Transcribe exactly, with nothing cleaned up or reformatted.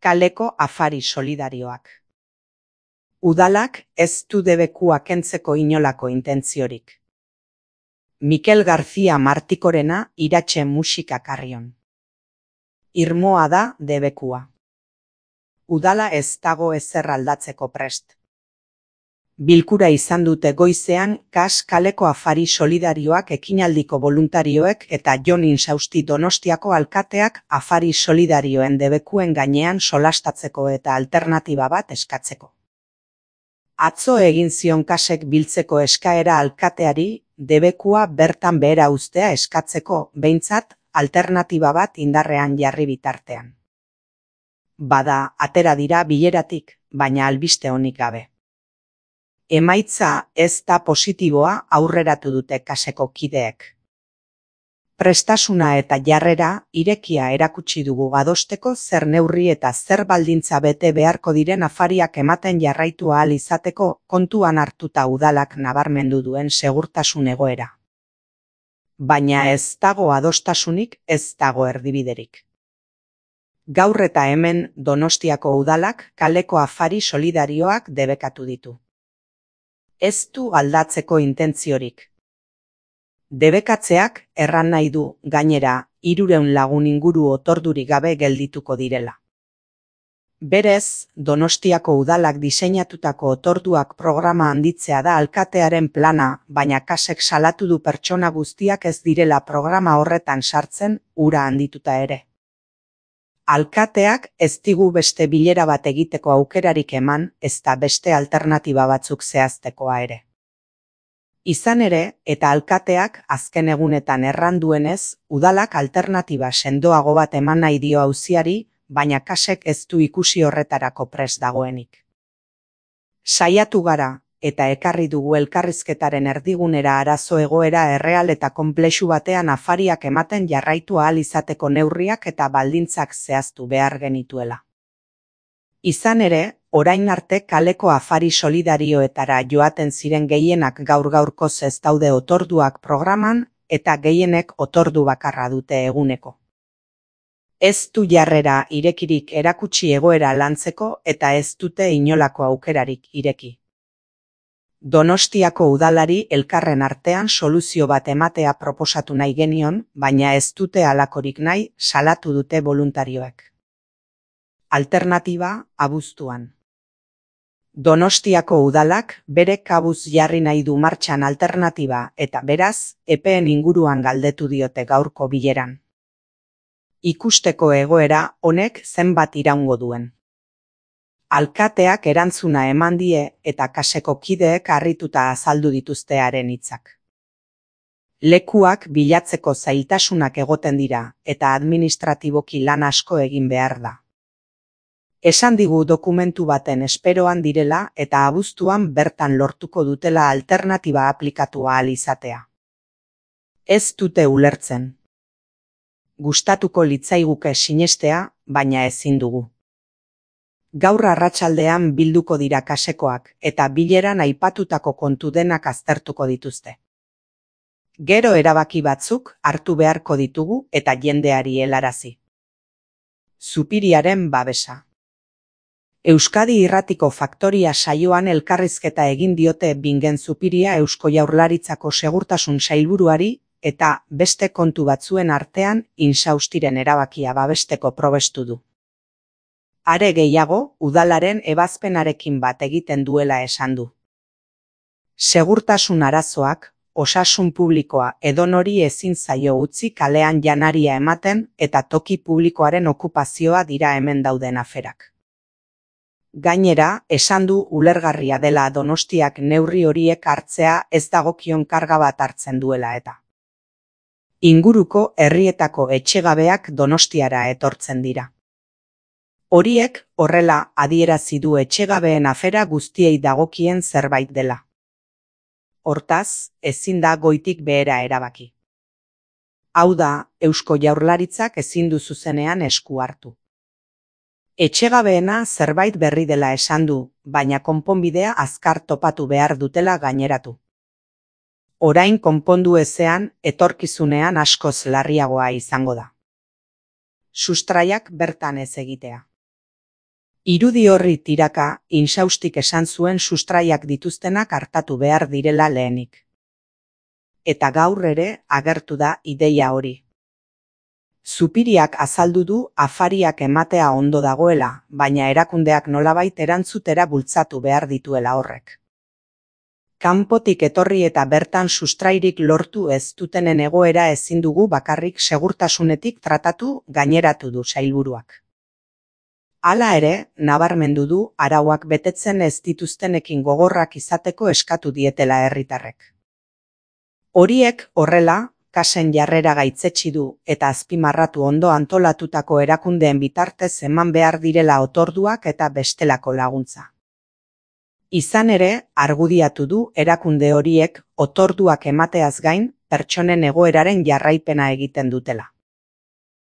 kaleko afari solidarioak. Udalak ez du debekua kentzeko inolako intentziorik. Mikel García Martikorena iratxe musika karrion. Irmoa da debekua. Udala ez dago ezer aldatzeko prest. Bilkura izan dute goizean Kas kaleko afari solidarioak ekinaldiko voluntarioek eta Jon Insausti Donostiako alkateak afari solidarioen debekuen gainean solastatzeko eta alternatiba bat eskatzeko. Atzo egin zion Kasek biltzeko eskaera alkateari debekua bertan behera uztea eskatzeko behintzat alternatiba bat indarrean jarri bitartean. Bada, atera dira bileratik, baina albiste onik gabe. Emaitza ez da positiboa aurreratu dute Kaseko kideek. Prestasuna eta jarrera irekia erakutsi dugu adosteko zer neurri eta zer baldintza bete beharko diren afariak ematen jarraitu ahal izateko kontuan hartuta udalak nabarmendu duen segurtasun egoera. Baina ez dago adostasunik, ez dago erdibiderik. Gaur eta hemen Donostiako udalak kaleko afari solidarioak debekatu ditu. Ez du aldatzeko intentziorik. Debekatzeak erran nahi du, gainera, hirurehun lagun inguru otordurik gabe geldituko direla. Berez, Donostiako udalak diseinatutako otorduak programa handitzea da alkatearen plana, baina Kasek salatu du pertsona guztiak ez direla programa horretan sartzen, ura handituta ere. Alkateak ez digu beste bilera bat egiteko aukerarik eman, ezta beste alternatiba batzuk zehaztekoa ere. Izan ere, eta alkateak azken egunetan erran duenez, udalak alternatiba sendoago bat eman nahi dio auziari, baina Kasek ez du ikusi horretarako prest dagoenik. Saiatu gara, eta ekarri dugu elkarrizketaren erdigunera arazo egoera erreal eta konplexu batean afariak ematen jarraitu ahal izateko neurriak eta baldintzak zehaztu behar genituela. Izan ere, orain arte kaleko afari solidarioetara joaten ziren gehienak gaur gaurkoz ez daude otorduak programan eta gehienek otordu bakarra dute eguneko. Ez du jarrera irekirik erakutsi egoera lantzeko eta ez dute inolako aukerarik ireki. Donostiako udalari elkarren artean soluzio bat ematea proposatu nahi genion, baina ez dute halakorik nahi salatu dute voluntarioek. Alternatiba abuztuan. Donostiako udalak bere kabuz jarri nahi du martxan alternatiba eta beraz, epeen inguruan galdetu diote gaurko bileran. Ikusteko egoera honek zenbat iraungo duen. Alkateak erantzuna eman die eta Kaseko kideek harrituta azaldu dituzte haren hitzak. Lekuak bilatzeko zailtasunak egoten dira eta administratiboki lan asko egin behar da. Esan digu dokumentu baten esperoan direla eta abuztuan bertan lortuko dutela alternatiba aplikatu ahal izatea. Ez dute ulertzen. Gustatuko litzaiguke sinestea, baina ezin dugu. Gaur arratsaldean bilduko dira Kasekoak eta bileran aipatutako kontu denak aztertuko dituzte. Gero erabaki batzuk hartu beharko ditugu eta jendeari helarazi. Zupiriaren babesa. Euskadi Irratiko Faktoria saioan elkarrizketa egin diote Bingen Zupiria Eusko Jaurlaritzako segurtasun sailburuari eta beste kontu batzuen artean Insaustiren erabakia babesteko probestu du. Are gehiago, udalaren ebazpenarekin bat egiten duela esan du. Segurtasun arazoak, osasun publikoa edonori ezin zaio utzi kalean janaria ematen eta toki publikoaren okupazioa dira hemen dauden aferak. Gainera, esan du ulergarria dela Donostiak neurri horiek hartzea ez dagokion karga bat hartzen duela eta. Inguruko herrietako etxegabeak Donostiara etortzen dira. Horiek horrela adierazi du etxegabeen afera guztiei dagokien zerbait dela. Hortaz, ezin da goitik behera erabaki. Hau da, Eusko Jaurlaritzak ezin du zuzenean esku hartu. Etxegabeena zerbait berri dela esan du, baina konponbidea azkar topatu behar dutela gaineratu. Orain konpondu ezean, etorkizunean askoz larriagoa izango da. Sustraiak bertan ez egitea. Irudi horri tiraka, Insaustik esan zuen sustraiak dituztenak artatu behar direla lehenik. Eta gaur ere agertu da ideia hori. Zupiriak azaldu du afariak ematea ondo dagoela, baina erakundeak nolabait erantzutera bultzatu behar dituela horrek. Kanpotik etorri eta bertan sustrairik lortu ez dutenen egoera ezin dugu bakarrik segurtasunetik tratatu, gaineratu du sailburuak. Hala ere, nabarmendu du arauak betetzen ez dituztenekin gogorrak izateko eskatu dietela herritarrek. Horiek horrela, kasen jarrera gaitzetsi du eta azpimarratu ondo antolatutako erakundeen bitartez eman behar direla otorduak eta bestelako laguntza. Izan ere, argudiatu du erakunde horiek otorduak emateaz gain, pertsonen egoeraren jarraipena egiten dutela.